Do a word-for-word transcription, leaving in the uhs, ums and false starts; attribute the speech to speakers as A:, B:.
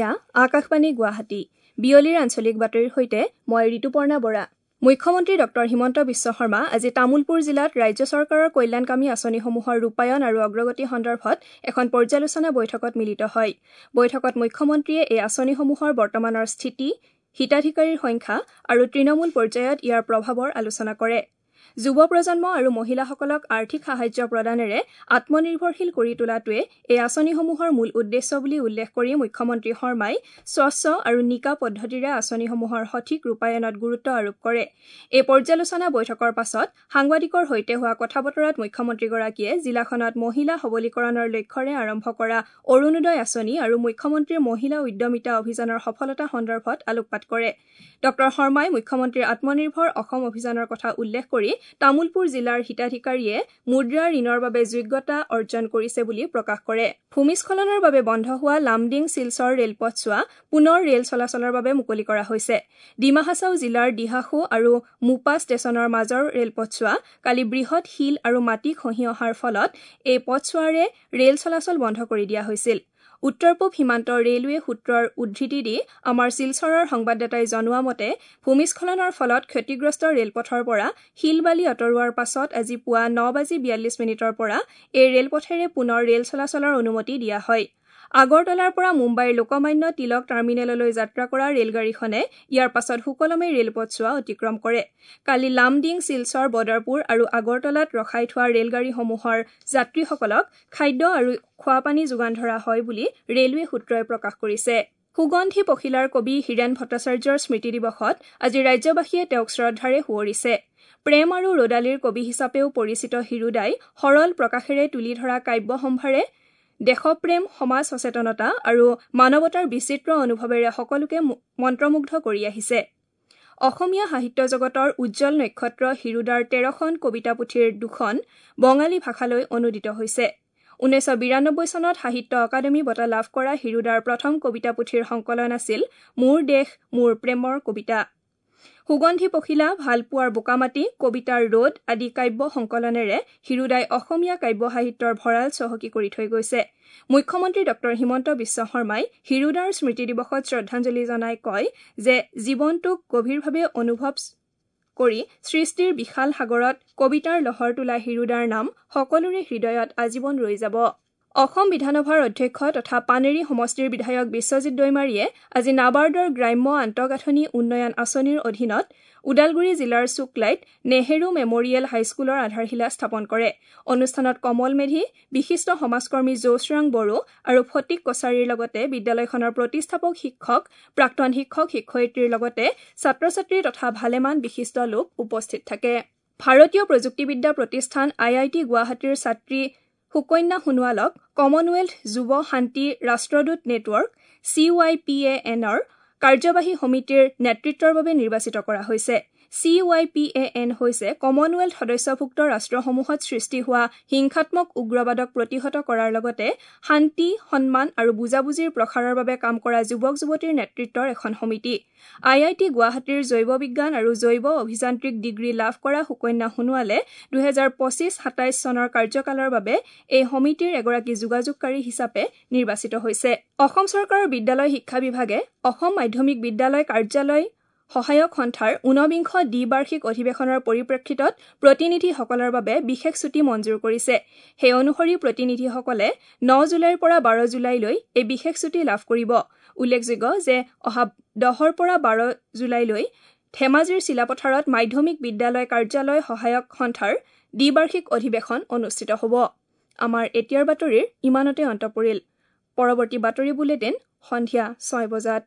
A: এয়া আকাশবাণী গুৱাহাটী। বিয়লিৰ আঞ্চলিক বাতৰিৰ সৈতে মই ঋতুপৰ্ণা বৰা। মুখ্যমন্ত্ৰী ডক্টৰ হিমন্ত বিশ্ব শৰ্মা আজি তামুলপুৰ জিলাত ৰাজ্য চৰকাৰৰ কল্যাণকামী আঁচনিসমূহৰ ৰূপায়ণ আৰু অগ্ৰগতি সন্দৰ্ভত এখন পৰ্যালোচনা বৈঠকত মিলিত হয়। বৈঠকত মুখ্যমন্ত্ৰীয়ে এই আঁচনিসমূহৰ বৰ্তমানৰ স্থিতি, হিতাধিকাৰীৰ সংখ্যা আৰু তৃণমূল পৰ্যায়ত ইয়াৰ প্ৰভাৱৰ আলোচনা কৰে। যুৱ প্ৰজন্ম আৰু মহিলাসকলক আৰ্থিক সাহায্য প্ৰদানেৰে আত্মনিৰ্ভৰশীল কৰি তোলাটোৱে এই আঁচনিসমূহৰ মূল উদ্দেশ্য বুলি উল্লেখ কৰি মুখ্যমন্ত্ৰী শৰ্মাই স্বচ্ছ আৰু নিকা পদ্ধতিৰে আঁচনিসমূহৰ সঠিক ৰূপায়ণত গুৰুত্ব আৰোপ কৰে। এই পৰ্যালোচনা বৈঠকৰ পাছত সাংবাদিকৰ সৈতে হোৱা কথা বতৰাত মুখ্যমন্ত্ৰীগৰাকীয়ে জিলাখনত মহিলা সবলীকৰণৰ লক্ষ্যৰে আৰম্ভ কৰা অৰুণোদয় আঁচনি আৰু মুখ্যমন্ত্ৰীৰ মহিলা উদ্যমিতা অভিযানৰ সফলতা সন্দৰ্ভত আলোকপাত কৰে। ডক্টৰ শৰ্মাই মুখ্যমন্ত্ৰীৰ আত্মনিৰ্ভৰ অসম অভিযানৰ কথা উল্লেখ কৰি তামুলপুৰ জিলাৰ হিতাধিকাৰীয়ে মুদ্ৰা ঋণৰ বাবে যোগ্যতা অৰ্জন কৰিছে বুলি প্ৰকাশ কৰে। ভূমিস্খলনৰ বাবে বন্ধ হোৱা লামডিং শিলচৰ ৰেলপথছোৱা পুনৰ ৰেল চলাচলৰ বাবে মুকলি কৰা হৈছে। ডিমা হাছাও জিলাৰ দিহাসু আৰু মুপা ষ্টেচনৰ মাজৰ ৰেলপথছোৱা কালি বৃহৎ শিল আৰু মাটি খহি অহাৰ ফলত এই পথছোৱাৰে ৰেল চলাচল বন্ধ কৰি দিয়া হৈছিল। উত্তৰ পূব সীমান্ত ৰেলৱে সূত্ৰৰ উদ্ধৃতি দি আমাৰ শিলচৰৰ সংবাদদাতাই জনোৱা মতে ভূমিস্খলনৰ ফলত ক্ষতিগ্ৰস্ত ৰেলপথৰ পৰা শিল বালি আঁতৰোৱাৰ পাছত আজি পুৱা ন বাজি বিয়াল্লিছ মিনিটৰ পৰা এই ৰেলপথেৰে পুনৰ ৰেল চলাচলৰ অনুমতি দিয়া হয়। আগৰতলাৰ পৰা মুম্বাইৰ লোকমান্য তিলক টাৰ্মিনেললৈ যাত্ৰা কৰা ৰেলগাড়ীখনে ইয়াৰ পাছত সুকলমে ৰেলপথছোৱা অতিক্ৰম কৰে। কালি লামডিং, শিলচৰ, বদৰপুৰ আৰু আগৰতলাত ৰখাই থোৱা ৰেলগাড়ীসমূহৰ যাত্ৰীসকলক খাদ্য আৰু খোৱাপানী যোগান ধৰা হয় বুলি ৰেলৱে সূত্ৰই প্ৰকাশ কৰিছে। সুগন্ধি পখিলাৰ কবি হীৰেণ ভট্টাচাৰ্যৰ স্মৃতি দিৱসত আজি ৰাজ্যবাসীয়ে তেওঁক শ্ৰদ্ধাৰে সুঁৱৰিছে। প্ৰেম আৰু ৰ'দালিৰ কবি হিচাপেও পৰিচিত হীৰুদাই সৰল প্ৰকাশেৰে তুলি ধৰা কাব্য সম্ভাৰে দেশপ্ৰেম, সমাজ সচেতনতা আৰু মানৱতাৰ বিচিত্ৰ অনুভৱেৰে সকলোকে মন্ত্ৰমুগ্ধ কৰি আহিছে। অসমীয়া সাহিত্য জগতৰ উজ্জ্বল নক্ষত্ৰ হীৰুদাৰ তেৰখন কবিতা পুথিৰ দুখন বঙালী ভাষালৈ অনুদিত হৈছে। ঊনৈছশ বিৰানব্বৈ চনত সাহিত্য অকাডেমী বঁটা লাভ কৰা হীৰুদাৰ প্ৰথম কবিতা পুথিৰ সংকলন আছিল মোৰ দেশ মোৰ প্ৰেমৰ কবিতা। সুগন্ধি পখিলা, ভালপোৱাৰ বোকামাটি, কবিতাৰ ৰ'দ আদি কাব্য সংকলনেৰে হীৰুদাই অসমীয়া কাব্য সাহিত্যৰ ভঁৰাল চহকী কৰি থৈ গৈছে। মুখ্যমন্ত্ৰী ডক্টৰ হিমন্ত বিশ্ব শৰ্মাই হীৰুদাৰ স্মৃতি দিৱসত শ্ৰদ্ধাঞ্জলি জনাই কয় যে জীৱনটোক গভীৰভাৱে অনুভৱ কৰি সৃষ্টিৰ বিশাল সাগৰত কবিতাৰ লহৰ তোলা হীৰুদাৰ নাম সকলোৰে হৃদয়ত আজীৱন ৰৈ যাব। অসম বিধানসভাৰ অধ্যক্ষ তথা পানেৰী সমষ্টিৰ বিধায়ক বিশ্বজিৎ দৈমাৰীয়ে আজি নাবাৰ্ডৰ গ্ৰাম্য আন্তঃগাঁথনি উন্নয়ন আঁচনিৰ অধীনত ওদালগুৰি জিলাৰ শুক্লাইত নেহেৰু মেমৰিয়েল হাইস্কুলৰ আধাৰশিলা স্থাপন কৰে। অনুষ্ঠানত কমল মেধি, বিশিষ্ট সমাজকৰ্মী জৌচৰাং বড়ো আৰু ফটিক কছাৰীৰ লগতে বিদ্যালয়খনৰ প্ৰতিষ্ঠাপক শিক্ষক, প্ৰাক্তন শিক্ষক শিক্ষয়িত্ৰীৰ লগতে ছাত্ৰ ছাত্ৰী তথা ভালেমান বিশিষ্ট লোক উপস্থিত থাকে। ভাৰতীয় প্ৰযুক্তিবিদ্যা প্ৰতিষ্ঠান আই I T গুৱাহাটীৰ ছাত্ৰী সুকন্যা সোণোৱালক কমনৱেলথ যুৱ শান্তি ৰাষ্ট্ৰদূত network C Y P A এনৰ কাৰ্যবাহী সমিতিৰ নেতৃত্বৰ বাবে নিৰ্বাচিত কৰা হৈছে। C Y P A N হৈছে কমনৱেলথ সদস্যভুক্ত ৰাষ্ট্ৰসমূহত সৃষ্টি হোৱা হিংসাত্মক উগ্ৰবাদক প্ৰতিহত কৰাৰ লগতে শান্তি, সন্মান আৰু বুজাবুজিৰ প্ৰসাৰৰ বাবে কাম কৰা যুৱক যুৱতীৰ নেতৃত্বৰ এখন সমিতি। আই I T গুৱাহাটীৰ জৈৱ বিজ্ঞান আৰু জৈৱ অভিযান্ত্ৰিক ডিগ্ৰী লাভ কৰা সুকন্যা সোণোৱালে দুহেজাৰ পঁচিছ সাতাইছ চনৰ কাৰ্যকালৰ বাবে এই সমিতিৰ এগৰাকী যোগাযোগকাৰী হিচাপে নিৰ্বাচিত হৈছে। অসম চৰকাৰৰ বিদ্যালয় শিক্ষা বিভাগে অসম মাধ্যমিক বিদ্যালয় কাৰ্যালয় সহায়ক সন্থাৰ ঊনবিংশ দ্বিবাৰ্ষিক অধিৱেশনৰ পৰিপ্ৰেক্ষিতত প্ৰতিনিধিসকলৰ বাবে বিশেষ ছুটী মঞ্জুৰ কৰিছে। সেই অনুসৰি প্ৰতিনিধিসকলে ন জুলাইৰ পৰা বাৰ জুলাইলৈ এই বিশেষ ছুটী লাভ কৰিব। উল্লেখযোগ্য যে অহা দহৰ পৰা বাৰ জুলাইলৈ ধেমাজিৰ চিলাপথাৰত মাধ্যমিক বিদ্যালয় কাৰ্যালয় সহায়ক সন্থাৰ দ্বিবাৰ্ষিক অধিৱেশন অনুষ্ঠিত হ'ব। আমাৰ এতিয়াৰ বাতৰিৰ ইমানতে অন্ত পৰিল। পৰৱৰ্তী বাতৰি বুলেটিন সন্ধিয়া ছয় বজাত।